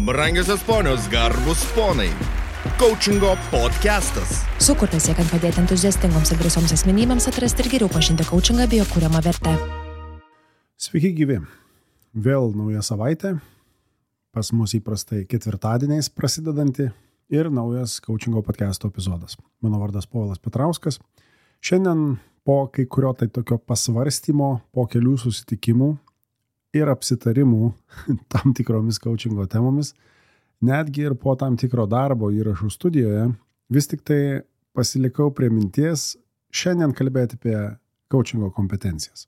Brangiosios ponios, garbus ponai. Coachingo podcastas. Sukurtas siekiant padėti entuziastingoms ir drąsioms asmenybėms atrasti ir geriau pažinti coachingą bei jo kuriamą vertę. Sveiki gyvi. Vėl nauja savaitė. Pas mus įprastai ketvirtadieniais prasidedanti ir naujas coachingo podcasto epizodas. Mano vardas Povilas Petrauskas. Šiandien po kai kurio tai tokio pasvarstymo, po kelių susitikimų ir apsitarimų tam tikromis coachingo temomis, netgi ir po tam tikro darbo įrašų studijoje, vis tik tai pasilikau prie minties šiandien kalbėti apie coachingo kompetencijas.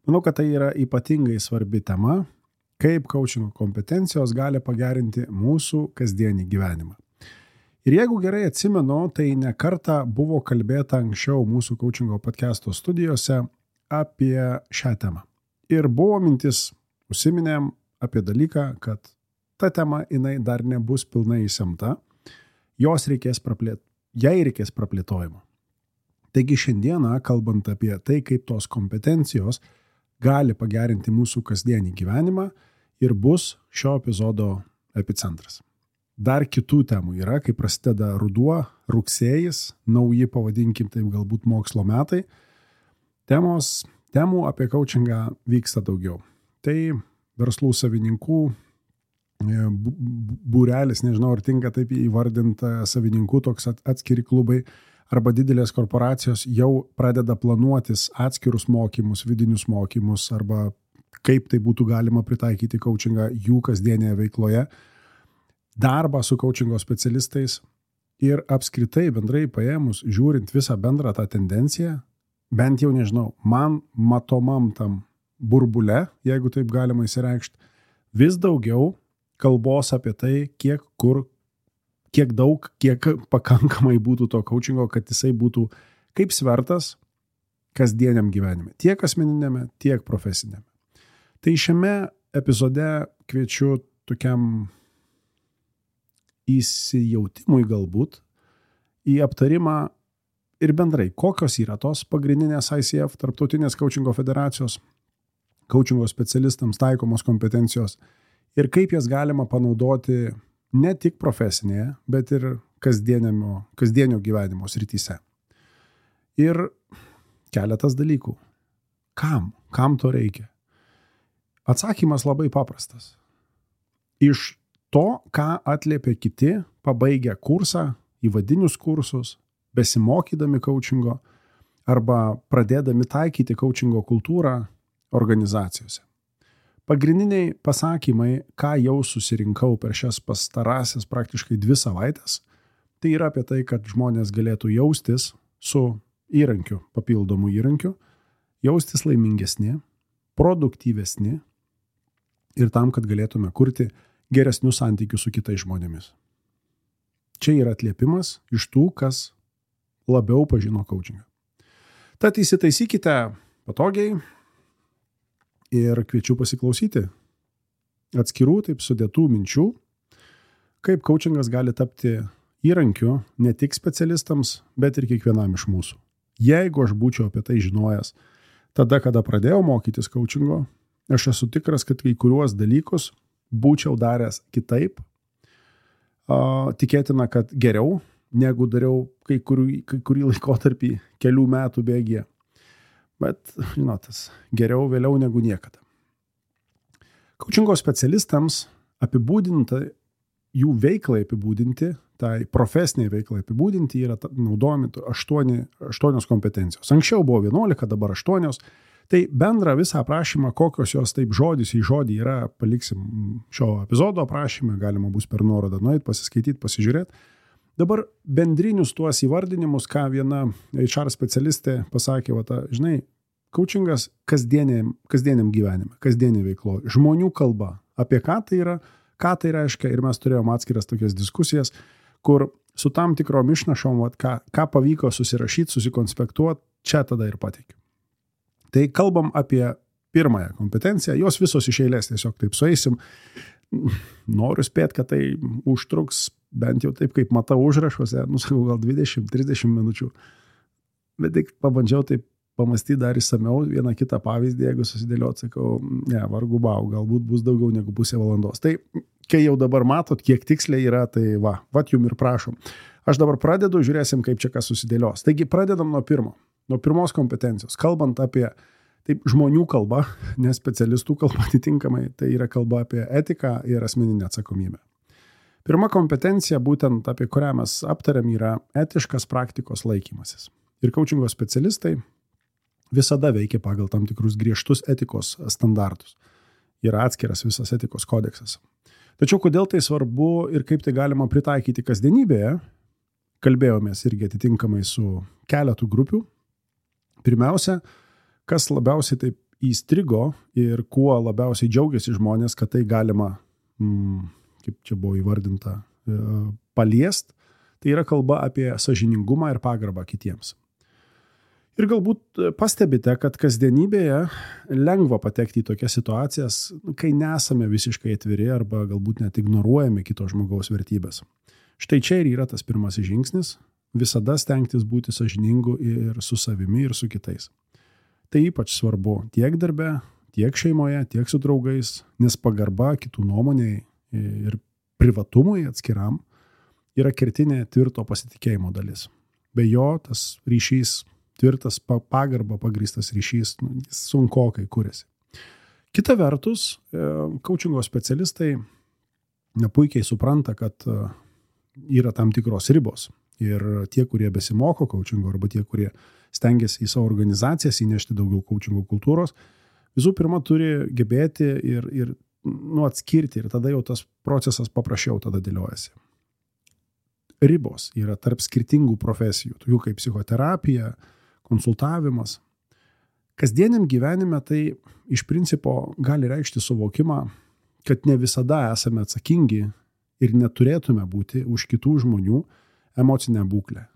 Manau, kad tai yra ypatingai svarbi tema, kaip coachingo kompetencijos gali pagerinti mūsų kasdienį gyvenimą. Ir jeigu gerai atsimenu, tai ne kartą buvo kalbėta anksčiau mūsų coachingo podcasto studijose apie šią temą. Ir buvo mintis, užsiminėm apie dalyką, kad ta tema jinai dar nebus pilnai įsemta, jai reikės praplėtojimo. Taigi šiandieną, kalbant apie tai, kaip tos kompetencijos gali pagerinti mūsų kasdienį gyvenimą, ir bus šio epizodo epicentras. Dar kitų temų yra, kai prasideda ruduo, rugsėjis, nauji pavadinkim taip galbūt mokslo metai. Temų apie coachingą vyksta daugiau. Tai verslų savininkų būrelis, nežinau, ar tinka taip įvardinta savininkų toks atskiri klubai, arba didelės korporacijos jau pradeda planuotis atskirus mokymus, vidinius mokymus, arba kaip tai būtų galima pritaikyti coachingą jų kasdienėje veikloje, darbą su coachingo specialistais ir apskritai bendrai paėmus, žiūrint visą bendrą tą tendenciją, bent jau nežinau, man matomam tam burbule, jeigu taip galima įsireikšti, vis daugiau kalbos apie tai, kiek daug, kiek pakankamai būtų to coachingo, kad jisai būtų kaip svertas kasdieniam gyvenime, tiek asmeninėme, tiek profesinėme. Tai šiame epizode kviečiu tokiam įsijautimui galbūt į aptarimą ir bendrai, kokios yra tos pagrindinės ICF, Tarptautinės coachingo federacijos, coachingo specialistams taikomos kompetencijos ir kaip jas galima panaudoti ne tik profesinėje, bet ir kasdienio gyvenimo srityse. Ir keletas dalykų. Kam? Kam to reikia? Atsakymas labai paprastas. Iš to, ką atliepia kiti, pabaigę kursą, įvadinius kursus, besimokydami coachingo arba pradėdami taikyti coachingo kultūrą organizacijose. Pagrindiniai pasakymai, ką jau susirinkau per šias pastarąsias praktiškai 2 savaitės, tai yra apie tai, kad žmonės galėtų jaustis su įrankiu, papildomu įrankiu, jaustis laimingesni, produktyvesni ir tam, kad galėtume kurti geresnius santykius su kitais žmonėmis. Čia yra atliepimas iš tų, kas labiau pažino coachingą. Tad įsitaisykite patogiai ir kviečiu pasiklausyti atskirų taip sudėtų minčių, kaip coachingas gali tapti įrankiu ne tik specialistams, bet ir kiekvienam iš mūsų. Jeigu aš būčiau apie tai žinojęs tada, kada pradėjau mokytis coachingo, aš esu tikras, kad kai kuriuos dalykus būčiau daręs kitaip, tikėtina, kad geriau, negu dariau kai kurį laikotarpį kelių metų bėgyje. Bet, žinotas, geriau vėliau negu niekada. Coachingo specialistams apibūdinti, jų veiklai apibūdinti, tai profesiniai veiklai apibūdinti yra naudojami 8 kompetencijos. Anksčiau buvo 11, dabar 8. Tai bendrą visą aprašymą, kokios jos taip žodis į žodį yra, paliksim šio epizodo aprašymą, galima bus per nuorodą nueiti, pasiskaityti, pasižiūrėti. Dabar bendrinius tuos įvardinimus, ką viena HR specialistė pasakė, žinai, coachingas kasdieniam gyvenime, kasdienį veiklo, žmonių kalba, apie ką tai reiškia, ir mes turėjom atskiras tokias diskusijas, kur su tam tikrom išnašom, ką pavyko susirašyti, susikonspektuoti, čia tada ir pateikiu. Tai kalbam apie pirmąją kompetenciją, jos visos iš eilės tiesiog taip sueisim. Noriu spėti, kad tai užtruks bent jau taip, kaip matau užrašuose, sakau, gal 20-30 minučių. Bet tik pabandžiau taip pamastyti dar įsamiau, vieną kitą pavyzdį, jeigu susidėliot, sakau, ne, vargu bau, galbūt bus daugiau negu pusė valandos. Tai kai jau dabar matot, kiek tiksliai yra, tai vat jum ir prašom. Aš dabar pradedu, žiūrėsim, kaip čia kas susidėlios. Taigi pradedam nuo pirmos kompetencijos. Kalbant apie taip, žmonių kalbą, ne specialistų kalbą atitinkamai, tai yra kalba apie etiką ir asmeninę atsakomybę. Pirma kompetencija, būtent apie kurią mes aptariam, yra etiškas praktikos laikymasis. Ir coachingo specialistai visada veikia pagal tam tikrus griežtus etikos standartus. Yra atskiras visas etikos kodeksas. Tačiau kodėl tai svarbu ir kaip tai galima pritaikyti kasdienybėje, kalbėjomės irgi atitinkamai su keletu grupių. Pirmiausia, kas labiausiai taip įstrigo ir kuo labiausiai džiaugiasi žmonės, kad tai galima, kaip čia buvo įvardinta, paliest, tai yra kalba apie sąžiningumą ir pagarbą kitiems. Ir galbūt pastebite, kad kasdienybėje lengva patekti į tokias situacijas, kai nesame visiškai atviri arba galbūt net ignoruojame kito žmogaus vertybės. Štai čia ir yra tas pirmasis žingsnis – visada stengtis būti sąžiningu ir su savimi, ir su kitais. Tai ypač svarbu tiek darbe, tiek šeimoje, tiek su draugais, nes pagarba kitų nuomoniai ir privatumui atskiram yra kertinė tvirto pasitikėjimo dalis. Be jo tas ryšys, tvirtas pagarba pagrįstas ryšys, jis sunkokai kuriasi. Kita vertus, coachingo specialistai puikiai supranta, kad yra tam tikros ribos. Ir tie, kurie besimoko coachingo arba tie, kurie stengiasi į savo organizacijas įnešti daugiau coachingo kultūros, visų pirma turi gebėti ir atskirti ir tada jau tas procesas paprasčiau tada dėliojasi. Ribos yra tarp skirtingų profesijų, tokių kaip psichoterapija, konsultavimas. Kasdieniam gyvenime tai iš principo gali reikšti suvokimą, kad ne visada esame atsakingi ir neturėtume būti už kitų žmonių emocinę būklę.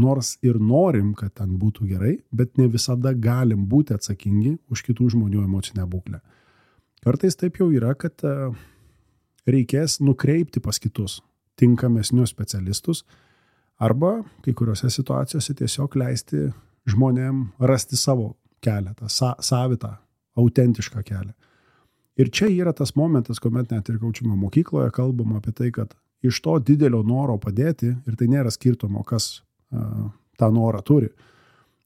Nors ir norim, kad ten būtų gerai, bet ne visada galim būti atsakingi už kitų žmonių emocinę būklę. Kartais taip jau yra, kad reikės nukreipti pas kitus tinkamesnius specialistus arba kai kuriuose situacijose tiesiog leisti žmonėm rasti savo kelią, tą savitą, autentišką kelią. Ir čia yra tas momentas, kuomet net ir coachingo mokykloje kalbama apie tai, kad iš to didelio noro padėti, ir tai nėra skirtumo, kas tą norą turi,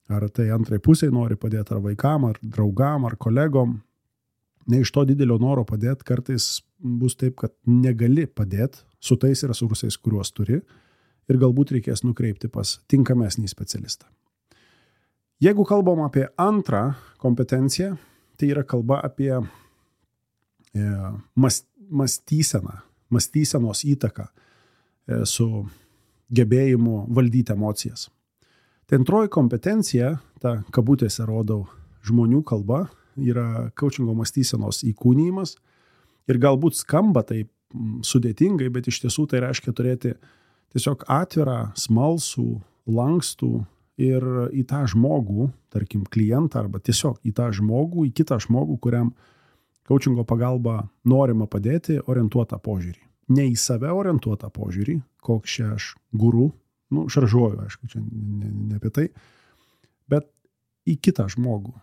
ar tai antrai pusiai nori padėti, ar vaikam, ar draugam, ar kolegom, ne iš to didelio noro padėti, kartais bus taip, kad negali padėti su tais resursais, kuriuos turi, ir galbūt reikės nukreipti pas tinkamesnį specialistą. Jeigu kalbam apie antrą kompetenciją, tai yra kalba apie mąstysenos įtaką su gebėjimu valdyti emocijas. Tai antroji kompetencija, ta kabutėse rodau žmonių kalba, yra coachingo mąstysenos įkūnijimas ir galbūt skamba taip sudėtingai, bet iš tiesų tai reiškia turėti tiesiog atvirą, smalsų, lankstų ir į tą žmogų, tarkim klientą arba tiesiog į tą žmogų, į kitą žmogų, kuriam coachingo pagalba norima padėti, orientuotą požiūrį. Ne į save orientuotą požiūrį, koks čia aš guru, šaržuoju, aišku, čia ne apie tai, bet į kitą žmogų.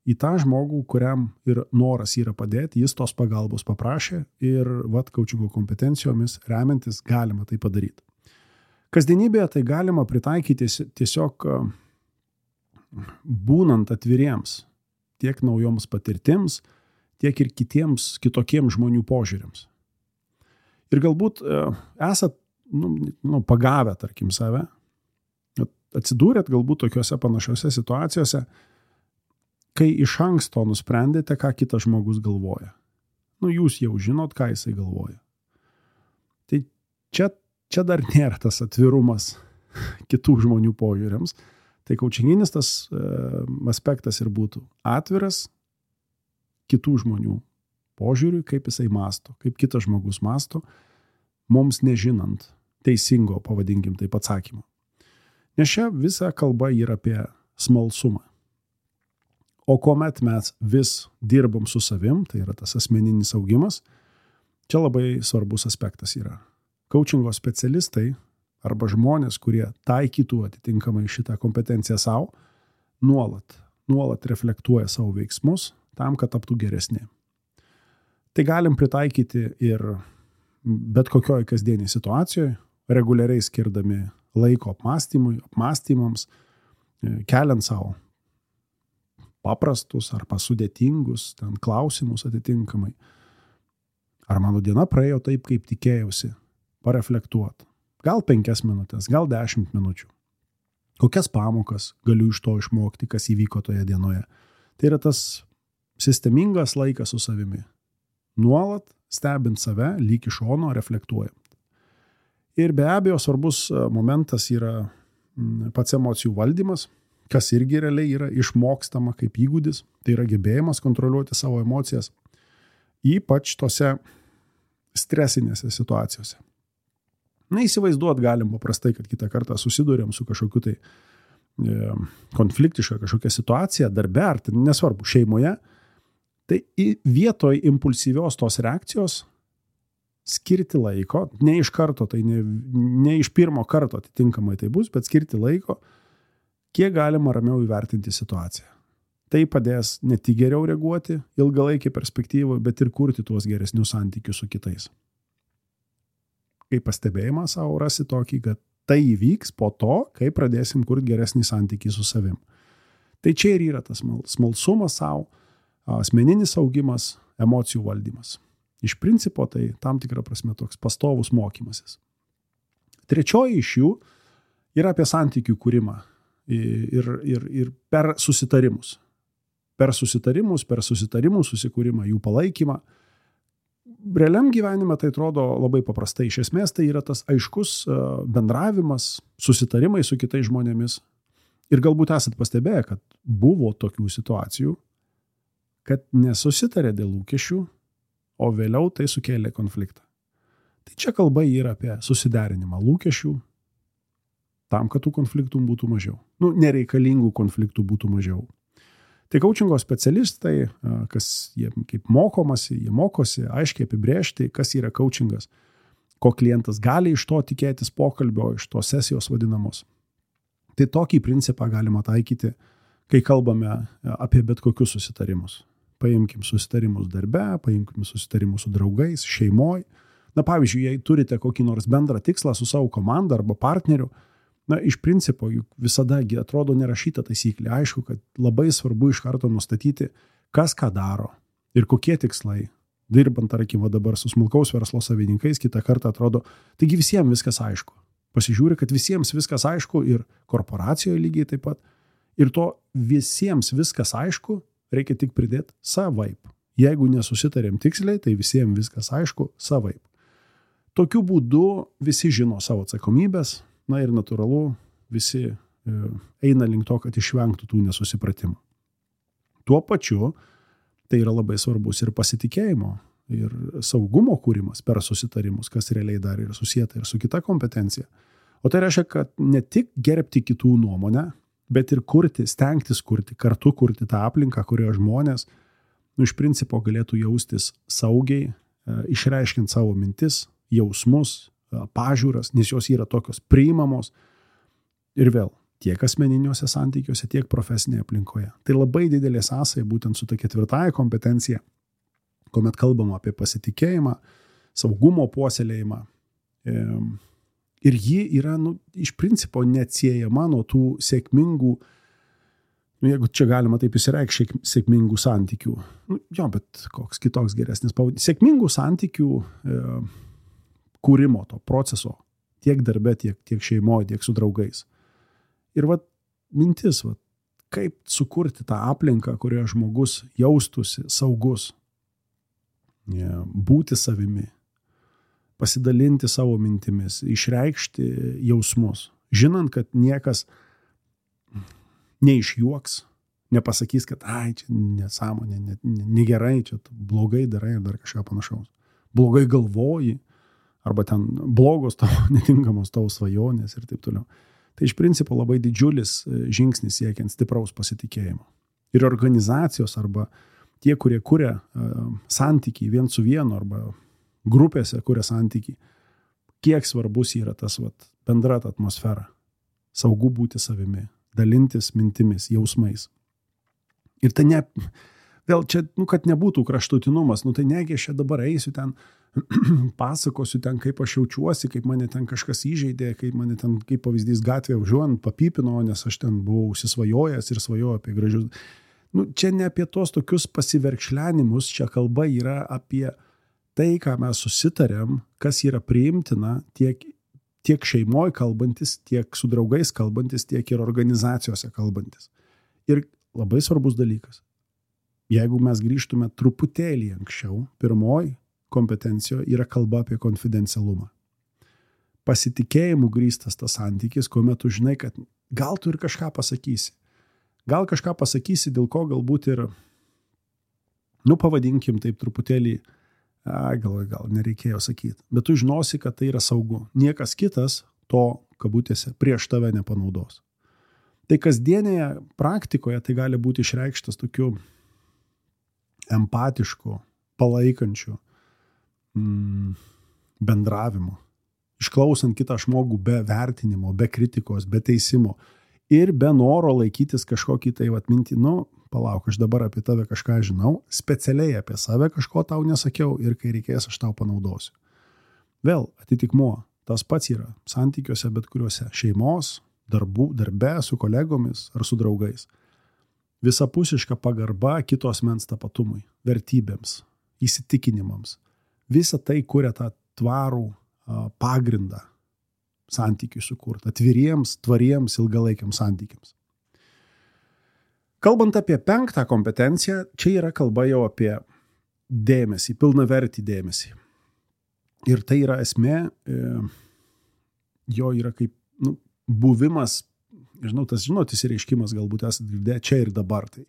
Į tą žmogų, kuriam ir noras yra padėti, jis tos pagalbos paprašė ir coachingo kompetencijomis remiantis galima tai padaryti. Kasdienybėje tai galima pritaikyti tiesiog būnant atviriems tiek naujoms patirtims, tiek ir kitokiems žmonių požiūriams. Ir galbūt esat pagavę, tarkim, save, atsidūrėt galbūt tokiuose panašiuose situacijose, kai iš anksto nusprendėte, ką kitas žmogus galvoja. Jūs jau žinot, ką jisai galvoja. Tai čia dar nėra tas atvirumas kitų žmonių požiūriams. Tai coachinginis tas aspektas ir būtų atviras kitų žmonių požiūriui, kaip jisai mąsto, kaip kitas žmogus mąsto, mums nežinant teisingo, pavadinkim taip, atsakymo. Nes čia visa kalba yra apie smalsumą. O kuomet mes vis dirbam su savim, tai yra tas asmeninis augimas, čia labai svarbus aspektas yra. Coachingo specialistai arba žmonės, kurie taikytų atitinkamai šitą kompetenciją savo, nuolat reflektuoja savo veiksmus tam, kad taptų geresni. Tai galim pritaikyti ir bet kokioje kasdienėje situacijoje, reguliariai skirdami laiko apmąstymams, keliant savo paprastus arba sudėtingus ten klausimus atitinkamai. Ar mano diena praėjo taip, kaip tikėjausi? Pareflektuot. Gal 5 minutės, gal 10 minučių. Kokias pamokas galiu iš to išmokti, kas įvyko toje dienoje. Tai yra tas sistemingas laikas su savimi. Nuolat stebint save, lyg iš šono, reflektuojant. Ir be abejo, svarbus momentas yra pats emocijų valdymas, kas irgi realiai yra išmokstama kaip įgūdis. Tai yra gebėjimas kontroliuoti savo emocijas, ypač tose stresinėse situacijose. Įsivaizduot galim paprastai, kad kitą kartą susidurėm su kažkokiu tai konfliktiška kažkokia situacija, darbe, ar tai nesvarbu, šeimoje. Tai vietoj impulsyvios tos reakcijos skirti laiko, ne iš karto, tai ne iš pirmo karto atitinkamai tai bus, bet skirti laiko, kiek galima ramiau įvertinti situaciją. Tai padės ne tik geriau reaguoti ilgalaikį perspektyvą, bet ir kurti tuos geresnius santykius su kitais. Kaip pastebėjimą savo rasi tokį, kad tai įvyks po to, kai pradėsim kurti geresnį santykį su savim. Tai čia ir yra tas smalsumas savo, asmeninis augimas, emocijų valdymas. Iš principo tai tam tikrą prasme toks pastovus mokymasis. Trečioji iš jų yra apie santykių kūrimą ir per susitarimus. Per susitarimų susikūrimą, jų palaikymą. Realiam gyvenime tai atrodo labai paprastai. Iš esmės tai yra tas aiškus bendravimas, susitarimai su kitais žmonėmis. Ir galbūt esat pastebėję, kad buvo tokių situacijų, kad nesusitarė dėl lūkesčių, o vėliau tai sukėlė konfliktą. Tai čia kalba yra apie susiderinimą lūkesčių, tam, kad tų konfliktų būtų mažiau. Nereikalingų konfliktų būtų mažiau. Tai coachingo specialistai, kas jie kaip mokosi, aiškiai apibrėžti, kas yra coachingas, ko klientas gali iš to tikėtis pokalbio, iš to sesijos vadinamos. Tai tokį principą galima taikyti, kai kalbame apie bet kokius susitarimus. Paimkim susitarimus darbe, paimkim susitarimus su draugais, šeimoj. Pavyzdžiui, jei turite kokį nors bendrą tikslą su savo komanda arba partneriu, iš principo juk visada atrodo nerašyta taisyklė. Aišku, kad labai svarbu iš karto nustatyti, kas ką daro ir kokie tikslai. Dirbant, tarkim, dabar su smulkaus verslo savininkais, kitą kartą atrodo, taigi visiems viskas aišku. Pasižiūri, kad visiems viskas aišku ir korporacijoje lygiai taip pat. Ir to visiems viskas aišku, reikia tik pridėti savaip. Jeigu nesusitarėm tiksliai, tai visiems viskas aišku savaip. Tokiu būdu visi žino savo atsakomybės, ir natūralu, visi eina link to, kad išvengtų tų nesusipratimų. Tuo pačiu, tai yra labai svarbus ir pasitikėjimo, ir saugumo kūrimas per susitarimus, kas realiai dar yra susijęta ir su kita kompetencija. O tai reiškia, kad ne tik gerbti kitų nuomonę, bet ir stengtis kurti, kartu kurti tą aplinką, kurioje žmonės, iš principo galėtų jaustis saugiai, išreiškiant savo mintis, jausmus, pažiūras, nes jos yra tokios priimamos ir vėl tiek asmeniniuose santykiuose, tiek profesinėje aplinkoje. Tai labai didelė sąsaja būtent su ta 4 kompetencija, kuomet kalbama apie pasitikėjimą, saugumo puoselėjimą. Ir ji yra, iš principo neatsiejama nuo tų sėkmingų, jeigu čia galima taip įsireikšti, sėkmingų santykių. Bet koks kitoks geresnis pavadinimas. Sėkmingų santykių kūrimo to proceso tiek darbe, tiek šeimoje, tiek su draugais. Ir mintis, kaip sukurti tą aplinką, kurioje žmogus jaustųsi saugus, būti savimi, pasidalinti savo mintimis, išreikšti jausmus, žinant, kad niekas neišjuoks, nepasakys, kad čia nesąmonė, negerai, čia blogai darai ar dar kažką panašaus. Blogai galvoji, arba ten blogos tavo, netinkamos tavo svajonės ir taip toliau. Tai iš principo labai didžiulis žingsnis siekiant stipraus pasitikėjimo. Ir organizacijos arba tie, kurie kuria santykį vien su vienu arba grupėse kuria santykį, kiek svarbus yra tas bendra atmosfera. Saugu būti savimi, dalintis mintimis, jausmais. Ir tai Vėl čia, kad nebūtų kraštutinumas, tai negi aš čia dabar eisiu ten, pasakosiu ten, kaip aš jaučiuosi, kaip mane ten kažkas įžeidė, kaip mane ten, kaip pavyzdys gatvėje važiuojant, papypino, nes aš ten buvau užsisvajojęs ir svajojau apie gražius. Čia ne apie tos tokius pasiverkšlenimus, čia kalba yra apie tai, ką mes susitarėm, kas yra priimtina tiek šeimoje kalbantis, tiek su draugais kalbantis, tiek ir organizacijose kalbantis. Ir labai svarbus dalykas. Jeigu mes grįžtume truputėlį anksčiau, pirmoji kompetencijoje yra kalba apie konfidencialumą. Pasitikėjimu grįstas tas santykis, kuomet tu žinai, kad gal tu ir kažką pasakysi. Gal kažką pasakysi, dėl ko galbūt ir, pavadinkim taip truputėlį, gal nereikėjo sakyti, bet tu žinosi, kad tai yra saugu. Niekas kitas to, kabutėse, prieš tave nepanaudos. Tai kasdienėje praktikoje tai gali būti išreikštas tokiu empatišku, palaikančiu bendravimu, išklausant kitą žmogų be vertinimo, be kritikos, be teisimo ir be noro laikytis kažkokį tai mintį, palauk, aš dabar apie tave kažką žinau, specialiai apie save kažko tau nesakiau ir kai reikės, aš tau panaudosiu. Vėl atitikmuo, tas pats yra santykiuose bet kuriuose, šeimos, darbe, su kolegomis ar su draugais. Visapusiška pagarba kito asmens tapatumui, vertybėms, įsitikinimams. Visa tai kuria tą tvarų pagrindą santykiui sukurti, atviriems, tvariems, ilgalaikiams santykiams. Kalbant apie 5 kompetenciją, čia yra kalba jau apie dėmesį, pilnavertį dėmesį. Ir tai yra esmė, jo yra kaip buvimas, tas išsireiškimas galbūt esate girdėję čia ir dabar. Tai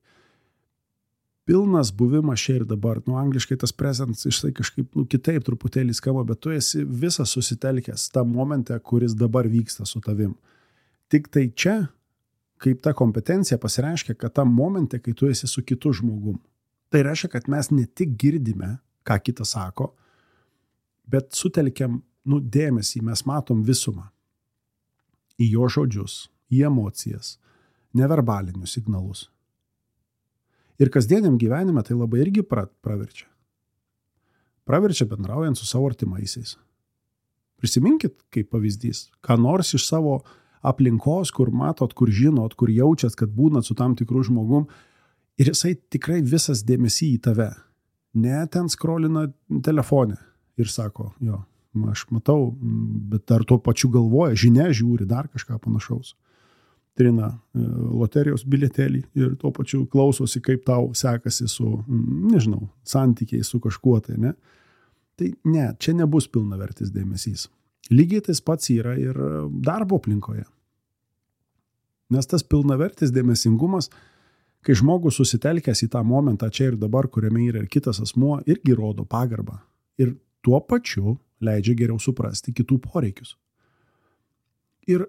pilnas buvimas čia ir dabar. Angliškai tas present išsai kažkaip kitaip truputėlį skamba, bet tu esi visas susitelkęs tą momentą, kuris dabar vyksta su tavim. Tik tai čia, kaip ta kompetencija pasireiškia, kad tam momente, kai tu esi su kitu žmogum. Tai reiškia, kad mes ne tik girdime, ką kitas sako, bet sutelkiam dėmesį, mes matom visumą. Į jo žodžius, į emocijas, neverbalinius signalus. Ir kasdieniam gyvenime tai labai irgi praverčia. Praverčia bendraujant su savo artimaisiais. Prisiminkit, kaip pavyzdys, ką nors iš savo aplinkos, kur matot, kur žinot, kur jaučiat, kad būnat su tam tikru žmogum ir jisai tikrai visas dėmesį į tave. Ne ten skrolina telefone ir sako, jo, aš matau, bet dar tuo pačiu galvoja, žinia žiūri, dar kažką panašaus. Trina loterijos bilietėlį ir tuo pačiu klausosi, kaip tau sekasi su, santykiai su kažkuo tai, ne? Tai ne, čia nebus pilnavertis dėmesys. Lygiai tas pats yra ir darbo aplinkoje. Nes tas pilnavertis dėmesingumas, kai žmogus susitelkęs į tą momentą čia ir dabar, kuriame yra ir kitas asmuo, irgi rodo pagarbą. Ir tuo pačiu leidžia geriau suprasti kitų poreikius. Ir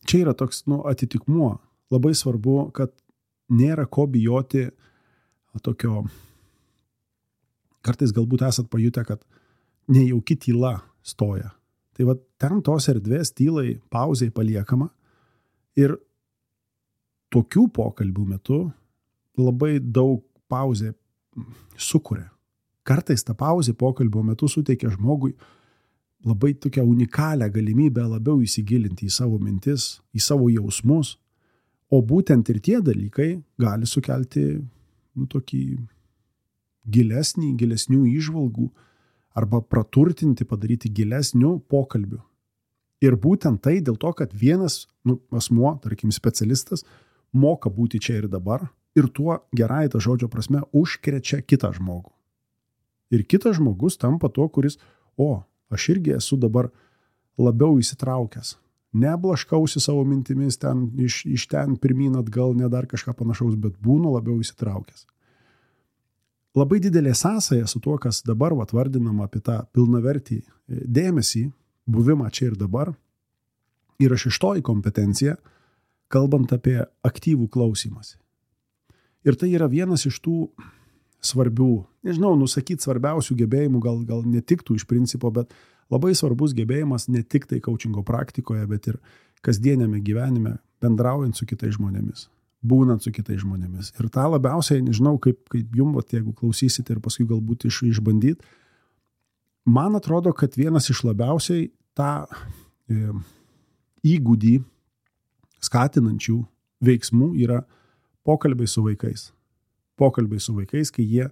čia yra toks atitikmuo. Labai svarbu, kad nėra ko bijoti tokio, kartais galbūt esat pajutę, kad nejauki tyla stoja. Tai ten tos erdvės tylai, pauzei paliekama ir tokių pokalbių metu labai daug pauzė sukuria. Kartais ta pauzė pokalbio metu suteikia žmogui labai tokią unikalią galimybę labiau įsigilinti į savo mintis, į savo jausmus, o būtent ir tie dalykai gali sukelti tokį gilesnių įžvalgų arba praturtinti, padaryti gilesnių pokalbių. Ir būtent tai dėl to, kad vienas asmuo, tarkim specialistas, moka būti čia ir dabar ir tuo gerai ta žodžio prasme užkrečia kitą žmogų. Ir kitas žmogus tampa tuo, kuris, aš irgi esu dabar labiau įsitraukęs. Neblaškausi savo mintimis ten, iš ten pirmyn atgal, ne dar kažką panašaus, bet būnu labiau įsitraukęs. Labai didelė sąsaja su tuo, kas dabar vardinama apie tą pilnavertį dėmesį, buvimą čia ir dabar, yra šeštoji kompetencija, kalbant apie aktyvų klausymąsi. Ir tai yra vienas iš tų svarbių, nusakyti svarbiausių gebėjimų, gal netiktų iš principo, bet labai svarbus gebėjimas ne tik tai coachingo praktikoje, bet ir kasdienėme gyvenime, bendraujant su kitais žmonėmis. būnant su kitais žmonėmis. Ir tą labiausiai, nežinau, kaip jums, jeigu klausysite ir paskui galbūt išbandyt, man atrodo, kad vienas iš labiausiai tą įgūdį skatinančių veiksmų yra pokalbiai su vaikais. Pokalbiai su vaikais, kai jie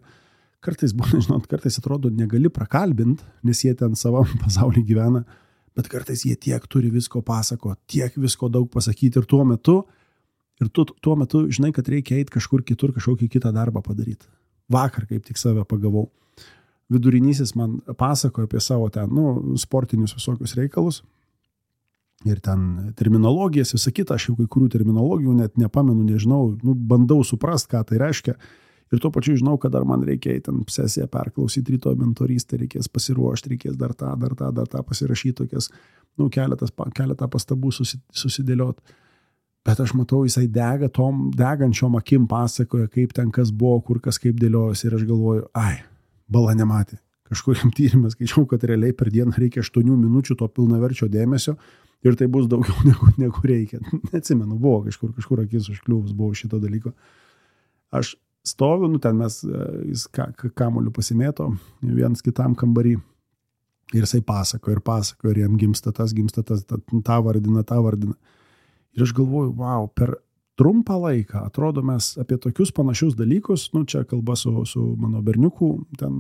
kartais būna, žinot, kartais atrodo negali prakalbint, nes jie ten savam pasaulyje gyvena, bet kartais jie tiek turi visko pasako, tiek visko daug pasakyti ir tuo metu žinai, kad reikia eiti kažkur kitur, kažkokį kitą darbą padaryti. Vakar kaip tik save pagavau. Vidurinysis man pasakojo apie savo ten, sportinius visokius reikalus ir ten terminologijas, visą kitą, aš jau kai kurių terminologijų net nepamenu, nežinau, bandau suprast, ką tai reiškia. Ir tuo pačiu žinau, kad dar man reikia ten sesiją perklausyti, rytoj mentorystę, reikės pasiruošti, reikės dar tą pasirašyti, tokias, keletą pastabų susidėlioti. Bet aš matau, jisai degančiom akim pasakoja, kaip ten kas buvo, kur kas kaip dėliojasi. Ir aš galvoju, bala nematė. Kažkuriam tyrimą skaičiau, kad realiai per dieną reikia 8 minučių to pilnaverčio dėmesio ir tai bus daugiau negu reikia. Neatsimenu, buvo kažkur akis užkliuvus, buvo šito dalyko. Aš stoviu, ten jis kamuoliu pasimėto, vienas kitam kambarį ir jisai pasako ir jam gimsta tas, tą vardina. Ir aš galvoju, per trumpą laiką, atrodo, mes apie tokius panašius dalykus, čia kalba su mano berniuku, ten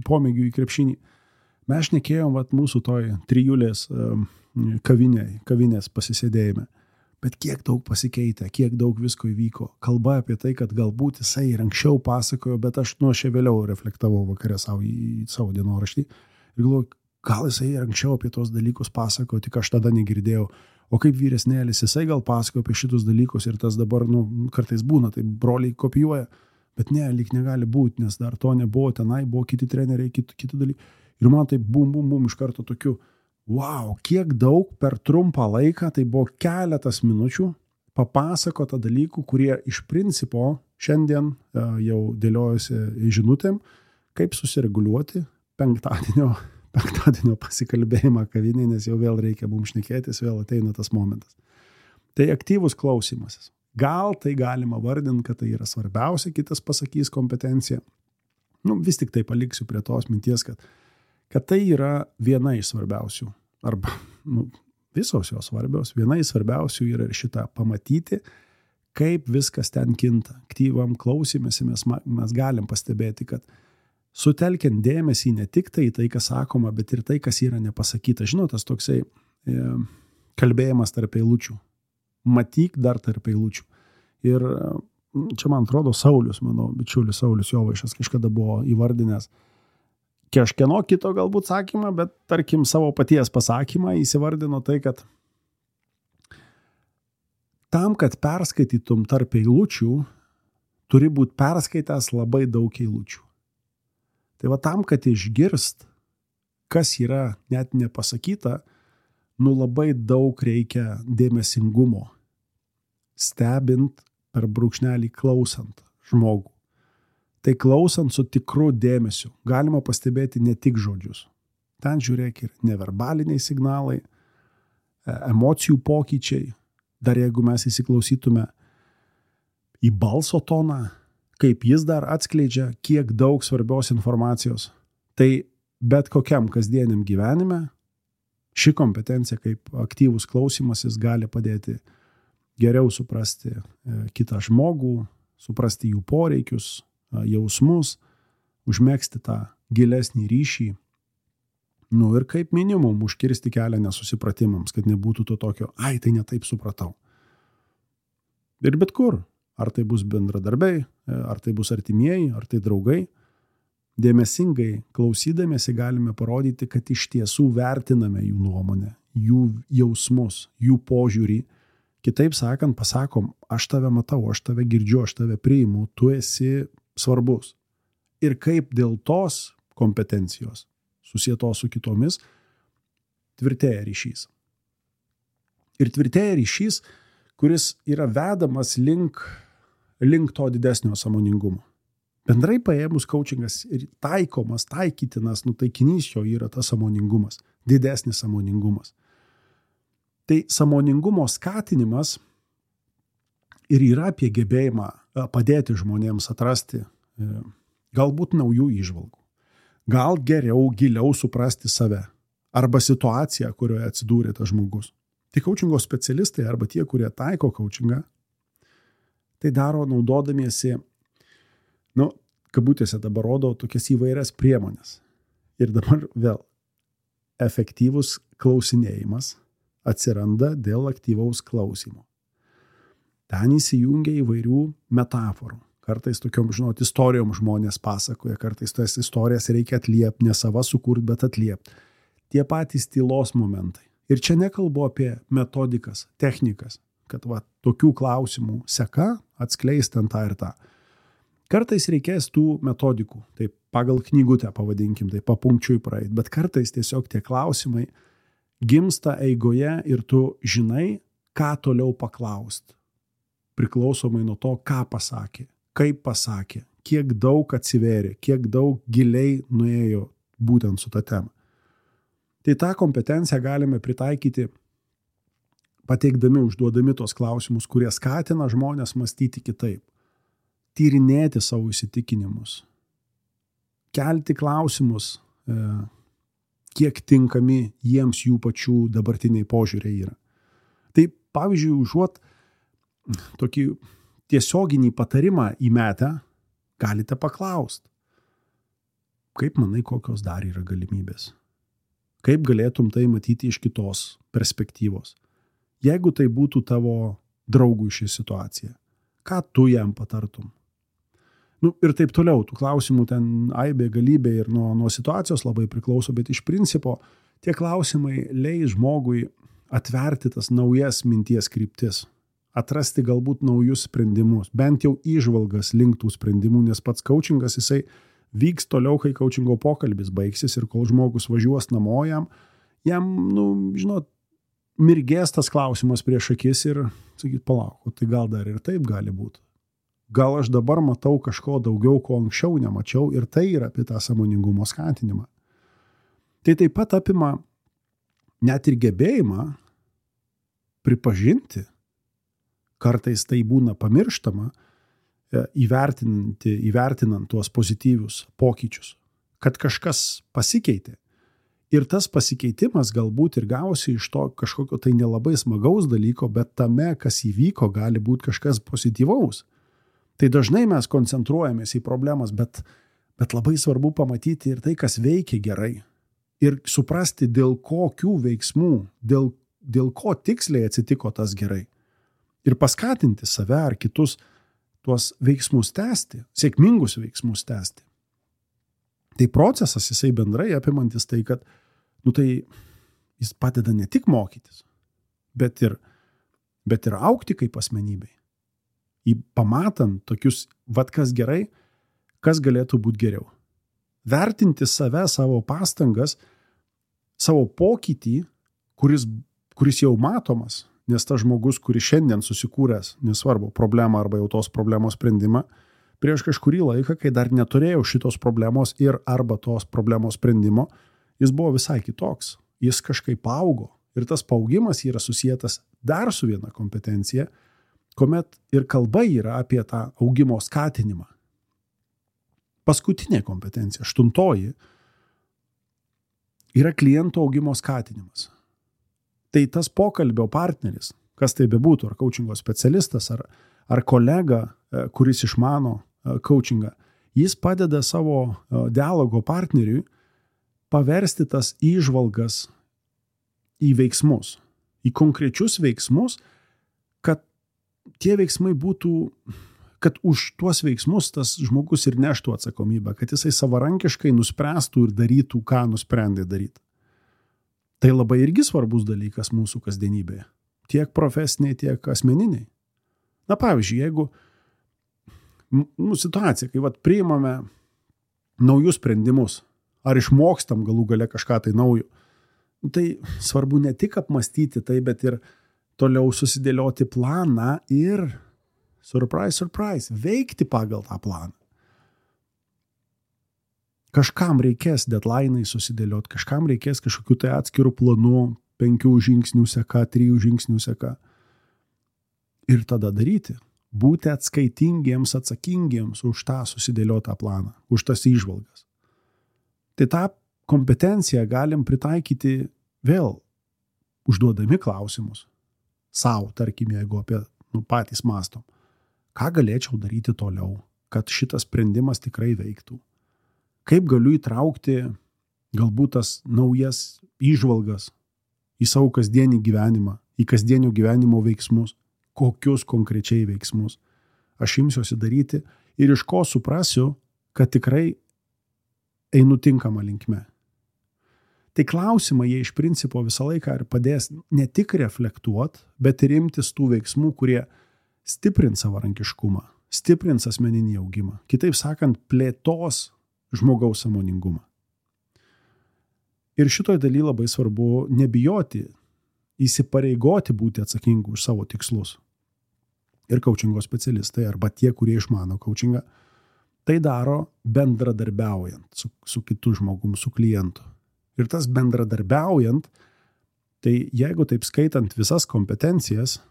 pomėgiu į krepšinį, mes šnekėjom mūsų toj trijulės kavinės pasisėdėjime. Bet kiek daug pasikeitė, kiek daug visko įvyko. Kalba apie tai, kad galbūt jisai ir anksčiau pasakojo, bet aš šiek vėliau reflektavau vakare į savo dienoraštį. Ir galvoju, gal jisai ir anksčiau apie tos dalykus pasakojo, tik aš tada negirdėjau. O kaip vyresnėlis, jisai gal pasakojo apie šitus dalykus ir tas dabar, kartais būna, tai broliai kopijuoja. Bet lyg negali būti, nes dar to nebuvo, tenai buvo kiti treneriai, kiti dalykai. Ir man tai bum, iš karto tokiu, kiek daug per trumpą laiką, tai buvo keletas minučių papasakota dalykų, kurie iš principo šiandien jau dėliojasi žinutėm, kaip susireguliuoti penktadienio pasikalbėjimą kavinėje, nes jau vėl reikia mums šnekėtis, vėl ateina tas momentas. Tai aktyvus klausimasis. Gal tai galima vardinti, kad tai yra svarbiausia, kitas pasakys kompetencija. Vis tik tai paliksiu prie tos minties, kad tai yra viena iš svarbiausių, arba visos jos svarbios, viena iš svarbiausių yra ir šitą pamatyti, kaip viskas ten kinta. Aktyvam klausimėsi mes galim pastebėti, kad sutelkiant dėmesį ne tik tai, kas sakoma, bet ir tai, kas yra nepasakyta. Žinot, tas toksai kalbėjimas tarp eilučių. Matyk dar tarp eilučių. Ir čia, man atrodo, Saulius, mano bičiulis Saulius Jovaišas kažkada buvo įvardinęs kažkieno kito galbūt sakymą, bet tarkim savo paties pasakymą įsivardino tai, kad tam, kad perskaitytum tarp eilučių, turi būti perskaitęs labai daug eilučių. Tai tam, kad išgirst, kas yra net nepasakyta, labai daug reikia dėmesingumo, stebint per brūkšnelį klausant žmogų. Tai klausant su tikru dėmesiu galima pastebėti ne tik žodžius. Ten žiūrėk ir neverbaliniai signalai, emocijų pokyčiai. Dar jeigu mes įsiklausytume į balso toną, kaip jis dar atskleidžia, kiek daug svarbios informacijos. Tai bet kokiam kasdieniam gyvenime ši kompetencija kaip aktyvus klausimasis gali padėti geriau suprasti kitą žmogų, suprasti jų poreikius, jausmus, užmegzti tą gilesnį ryšį. Ir kaip minimum užkirsti kelią nesusipratimams, kad nebūtų to tokio, tai ne taip supratau. Ir bet kur. Ar tai bus bendradarbiai, ar tai bus artimieji, ar tai draugai. Dėmesingai klausydamiesi galime parodyti, kad iš tiesų vertiname jų nuomonę, jų jausmus, jų požiūrį. Kitaip sakant, pasakom, aš tave matau, aš tave girdžiu, aš tave priimu, tu esi svarbus. Ir kaip dėl tos kompetencijos, susietos su kitomis, tvirtėja ryšys. Ir tvirtėja ryšys, kuris yra vedamas link to didesnio sąmoningumo. Bendrai paėmus coachingas ir taikytinas, taikinys jo yra tas sąmoningumas, didesnis sąmoningumas. Tai sąmoningumo skatinimas ir yra apie gebėjimą padėti žmonėms atrasti galbūt naujų įžvalgų. Gal geriau, giliau suprasti save arba situaciją, kurioje atsidūrė tas žmogus. Tai coachingo specialistai arba tie, kurie taiko coachingą, tai daro naudodamiesi, kabutėse dabar rodo tokias įvairias priemonės. Ir dabar vėl efektyvus klausinėjimas atsiranda dėl aktyvaus klausimo. Ten įsijungia įvairių metaforų. Kartais tokiom, istorijom žmonės pasakoja, kartais tas istorijas reikia atliepti, ne sava sukurti, bet atliepti. Tie patys tylos momentai. Ir čia nekalbu apie metodikas, technikas, kad tokių klausimų seka atskleis ten tą ir tą. Kartais reikės tų metodikų, taip pagal knygutę pavadinkim, tai papunkčiui praeit, bet kartais tiesiog tie klausimai gimsta eigoje ir tu žinai, ką toliau paklaust. Priklausomai nuo to, ką pasakė, kaip pasakė, kiek daug atsivėrė, kiek daug giliai nuėjo būtent su ta tema. Tai tą kompetenciją galime pritaikyti, pateikdami, užduodami tos klausimus, kurie skatina žmonės mąstyti kitaip, tyrinėti savo įsitikinimus, kelti klausimus, kiek tinkami jiems jų pačių dabartiniai požiūriai yra. Tai pavyzdžiui, užuot tokį tiesioginį patarimą įmetę, galite paklausti, kaip manai, kokios dar yra galimybės? Kaip galėtum tai matyti iš kitos perspektyvos? Jeigu tai būtų tavo draugui ši situacija, ką tu jam patartum? Ir taip toliau, tų klausimų ten aibė, galybė ir nuo situacijos labai priklauso, bet iš principo tie klausimai leis žmogui atverti tas naujas minties kryptis, atrasti galbūt naujus sprendimus, bent jau įžvalgas link tų sprendimų, nes pats coachingas jisai vyks toliau, kai coachingo pokalbis baigsis ir kol žmogus važiuos namo jam mirgės tas klausimas prieš akis ir sakyt, palauk, tai gal dar ir taip gali būti. Gal aš dabar matau kažko daugiau, ko anksčiau nemačiau ir tai yra apie tą sąmoningumo skatinimą. Tai taip pat apima net ir gebėjimą pripažinti, kartais tai būna pamirštama, įvertinant tuos pozityvius pokyčius, kad kažkas pasikeitė. Ir tas pasikeitimas galbūt ir gavosi iš to kažkokio tai nelabai smagaus dalyko, bet tame, kas įvyko, gali būti kažkas pozityvaus. Tai dažnai mes koncentruojamės į problemas, bet labai svarbu pamatyti ir tai, kas veikia gerai. Ir suprasti, dėl kokių veiksmų, dėl ko tiksliai atsitiko tas gerai. Ir paskatinti save ar kitus tuos veiksmus tęsti, sėkmingus veiksmus tęsti. Tai procesas, jisai bendrai apimantis tai, kad tai jis padeda ne tik mokytis, bet ir augti kaip asmenybei. Pamatant tokius, kas gerai, kas galėtų būti geriau. Vertinti save, savo pastangas, savo pokytį, kuris jau matomas, nes tas žmogus, kuris šiandien susikūręs, nesvarbu, problemą arba jau tos problemos sprendimą, prieš kažkurį laiką, kai dar neturėjau šitos problemos ir arba tos problemos sprendimo, jis buvo visai kitoks. Jis kažkaip augo ir tas paaugimas yra susietas dar su viena kompetencija, kuomet ir kalba yra apie tą augimo skatinimą. Paskutinė kompetencija, 8, yra kliento augimo skatinimas. Tai tas pokalbio partneris, kas tai bebūtų, ar coachingo specialistas, ar kolega, kuris išmano coachingą, jis padeda savo dialogo partneriui paversti tas įžvalgas į veiksmus, į konkrečius veiksmus, kad tie veiksmai būtų, kad už tuos veiksmus tas žmogus ir neštų atsakomybę, kad jisai savarankiškai nuspręstų ir darytų, ką nusprendė daryti. Tai labai irgi svarbus dalykas mūsų kasdienybėje. Tiek profesiniai, tiek asmeniniai. Pavyzdžiui, jeigu situacija, kai priimame naujus sprendimus, ar išmokstam galų gale kažką tai naujo, tai svarbu ne tik apmastyti tai, bet ir toliau susidėlioti planą ir, surprise, veikti pagal tą planą. Kažkam reikės deadline'ai susidėlioti, kažkam reikės kažkokių tai atskirų planų, 5 žingsnių seka, 3 žingsnių seka. Ir tada daryti. būti atskaitingiems, atsakingiems už tą susidėliotą planą, už tas įžvalgas. Tai tą kompetenciją galim pritaikyti vėl, užduodami klausimus. Sau, tarkim, jeigu apie patys mastom. Ką galėčiau daryti toliau, kad šitas sprendimas tikrai veiktų? Kaip galiu įtraukti galbūt tas naujas įžvalgas į savo kasdienį gyvenimą, į kasdienio gyvenimo veiksmus, kokius konkrečiai veiksmus aš imsiuosi daryti ir iš ko suprasiu, kad tikrai einu tinkamą linkme. Tai klausimai jie iš principo visą laiką ir padės ne tik reflektuoti, bet ir imtis tų veiksmų, kurie stiprins savarankiškumą, stiprins asmeninį augimą. Kitaip sakant, plėtos žmogaus sąmoningumą. Ir šitoj daly labai svarbu nebijoti, įsipareigoti būti atsakingu už savo tikslus. Ir coachingo specialistai arba tie, kurie išmano coachingą, tai daro bendradarbiaujant su kitu žmogum, su klientu. Ir tas bendradarbiaujant, tai jeigu taip skaitant visas kompetencijas,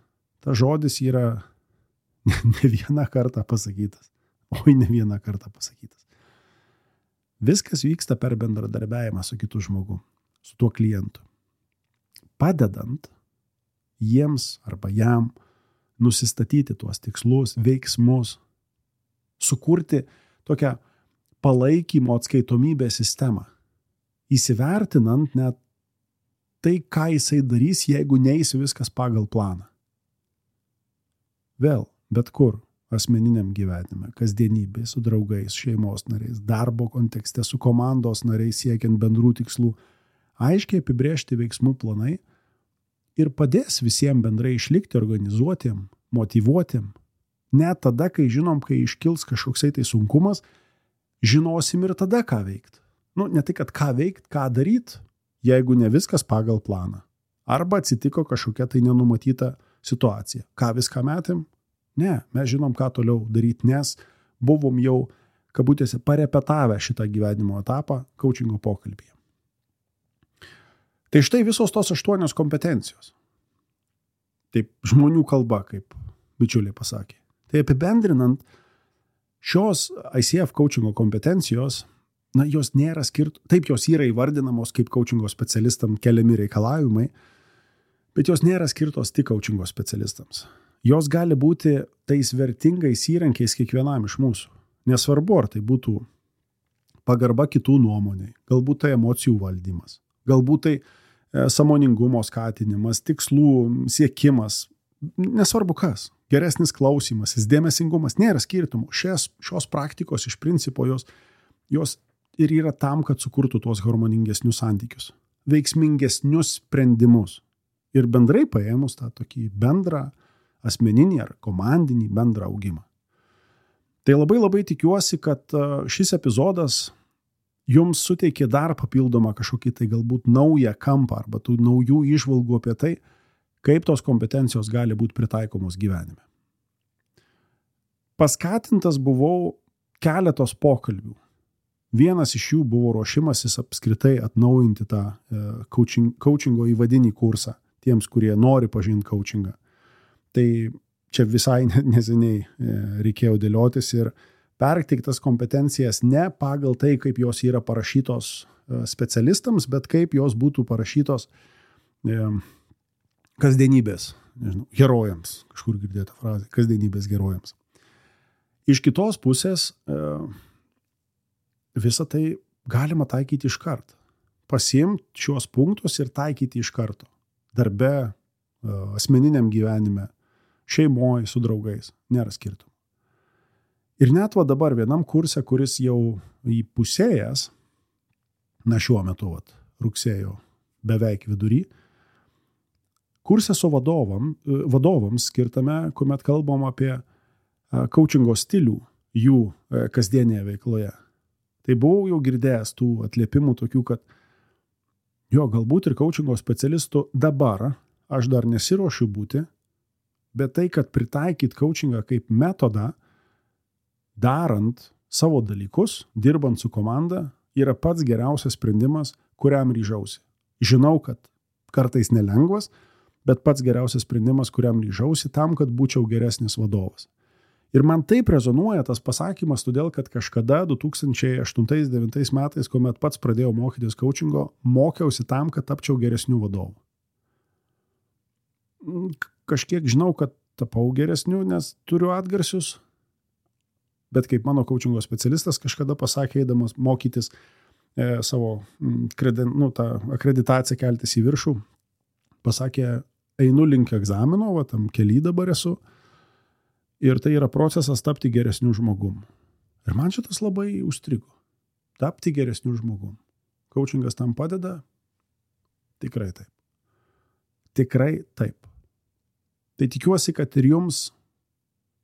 tas žodis yra ne vieną kartą pasakytas. Ne vieną kartą pasakytas. Viskas vyksta per bendradarbiavimą su kitu žmogu, su tuo klientu. Padedant jiems arba jam nusistatyti tuos tikslus, veiksmus, sukurti tokią palaikymo atskaitomybės sistemą, įsivertinant net tai, ką jisai darys, jeigu neis viskas pagal planą. Vėl, bet kur, asmeniniam gyvenime, kasdienybėje, su draugais, šeimos nariais, darbo kontekste, su komandos nariais siekiant bendrų tikslų, aiškiai apibrėžti veiksmų planai ir padės visiems bendrai išlikti organizuotiem, motyvuotiem. Net tada, kai žinom, kai iškils kažkoksai tai sunkumas, žinosim ir tada, ką veikt. Ne tai, kad ką veikt, ką daryt, jeigu ne viskas pagal planą. Arba atsitiko kažkokia tai nenumatyta situacija. Ką viską metėm? Ne, mes žinom, ką toliau daryti, nes buvom jau, kabutėse, parepetavę šitą gyvenimo etapą coachingo pokalbyje. Tai štai visos tos 8 kompetencijos. Taip, žmonių kalba, kaip bičiuliai pasakė. Tai apibendrinant, šios ICF coachingo kompetencijos, jos nėra taip jos yra įvardinamos kaip coachingo specialistam keliami reikalavimai, bet jos nėra skirtos tik coachingo specialistams. Jos gali būti tais vertingais įrankiais kiekvienam iš mūsų. Nesvarbu, ar tai būtų pagarba kitų nuomonei, galbūt tai emocijų valdymas, galbūt tai sąmoningumo skatinimas, tikslų siekimas, nesvarbu kas, geresnis klausymasis, dėmesingumas, nėra skirtumų. Šios praktikos iš principo jos ir yra tam, kad sukurtų tuos harmoningesnius santykius, veiksmingesnius sprendimus ir bendrai paėmus tą tokį bendrą asmeninį ar komandinį bendrą augimą. Tai labai tikiuosi, kad šis epizodas jums suteikė dar papildomą kažkokį tai galbūt naują kampą arba tų naujų įžvalgų apie tai, kaip tos kompetencijos gali būti pritaikomos gyvenime. Paskatintas buvau keletos pokalbių. Vienas iš jų buvo ruošimasis apskritai atnaujinti tą coachingo įvadinį kursą tiems, kurie nori pažinti coachingą. Tai čia visai neseniai reikėjo dėliotis ir perteiktas kompetencijas ne pagal tai, kaip jos yra parašytos specialistams, bet kaip jos būtų parašytos kasdienybės, herojams, kažkur girdėta frazė, kasdienybės herojams. Iš kitos pusės visą tai galima taikyti iš karto. Pasiimti šios punktus ir taikyti iš karto. Darbe, asmeniniam gyvenime, šeimoje, su draugais. Nėra skirtumų. Ir net dabar vienam kurse, kuris jau įpusėjęs, šiuo metu, rugsėjo beveik vidury, kurse su vadovams skirtame, kuomet kalbam apie coachingo stilių jų kasdienėje veikloje. Tai buvau jau girdėjęs tų atliepimų tokių, kad galbūt ir coachingo specialistų dabar aš dar nesiruošiu būti, bet tai, kad pritaikyt coachingą kaip metodą, darant savo dalykus, dirbant su komanda, yra pats geriausias sprendimas, kuriam ryžausi. Žinau, kad kartais nelengvas, bet pats geriausias sprendimas, kuriam ryžausi tam, kad būčiau geresnis vadovas. Ir man taip rezonuoja tas pasakymas, todėl kad kažkada 2008-2009 metais, kuomet pats pradėjau mokytis coachingo, mokiausi tam, kad tapčiau geresniu vadovu. Kažkiek žinau, kad tapau geresniu, nes turiu atgarsius, bet kaip mano coachingo specialistas kažkada pasakė, eidamas mokytis savo tą akreditaciją keltis į viršų, pasakė, einu link egzamino, tam kely dabar esu, ir tai yra procesas tapti geresniu žmogum. Ir man šitas labai užstrigo. Tapti geresniu žmogum. Coachingas tam padeda? Tikrai taip. Tikrai taip. Tai tikiuosi, kad ir jums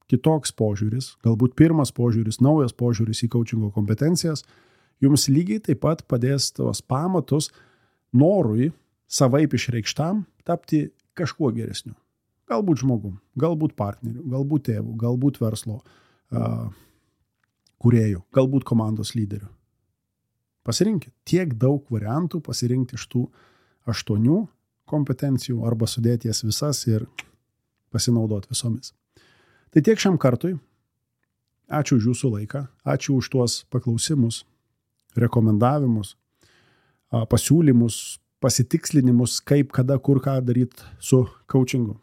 kitoks požiūris, galbūt pirmas požiūris, naujas požiūris į coachingo kompetencijas, jums lygiai taip pat padės tos pamatus norui savaip išreikštam tapti kažkuo geresniu. Galbūt žmogum, galbūt partneriu, galbūt tėvu, galbūt verslo kūrėjų, galbūt komandos lyderiu. Pasirinkit. Tiek daug variantų pasirinkti iš tų 8 kompetencijų arba sudėti jas visas ir pasinaudoti visomis. Tai tiek šiam kartui. Ačiū už jūsų laiką, ačiū už tuos paklausimus, rekomendavimus, pasiūlymus, pasitikslinimus, kaip, kada, kur, ką daryti su coachingu.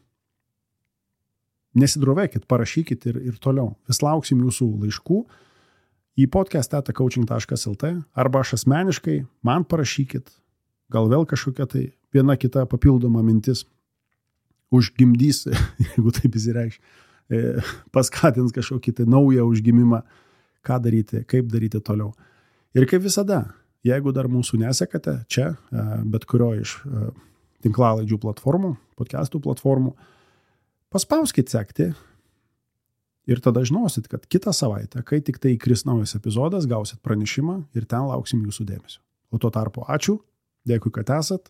Nesidrovėkit, parašykit ir toliau. Vis lauksim jūsų laiškų į podcast@coaching.lt arba aš asmeniškai man parašykit, gal vėl kažkokia tai viena kita papildoma mintis užgimdys, jeigu taip įsireikš, paskatins kažkokį tai naują užgimimą, ką daryti, kaip daryti toliau. Ir kaip visada, jeigu dar mūsų nesekate čia, bet kurio iš tinklalaidžių platformų, podcastų platformų, paspauskit sekti ir tada žinosit, kad kitą savaitę, kai tik tai įkris naujas epizodas, gausit pranešimą ir ten lauksim jūsų dėmesio. O tuo tarpu ačiū, dėkui, kad esat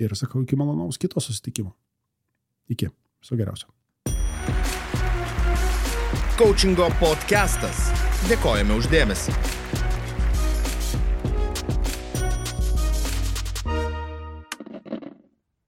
ir sakau iki malonaus kito susitikimo. Iki. Viso geriausio. Coachingo podcastas. Dėkojame už dėmesį.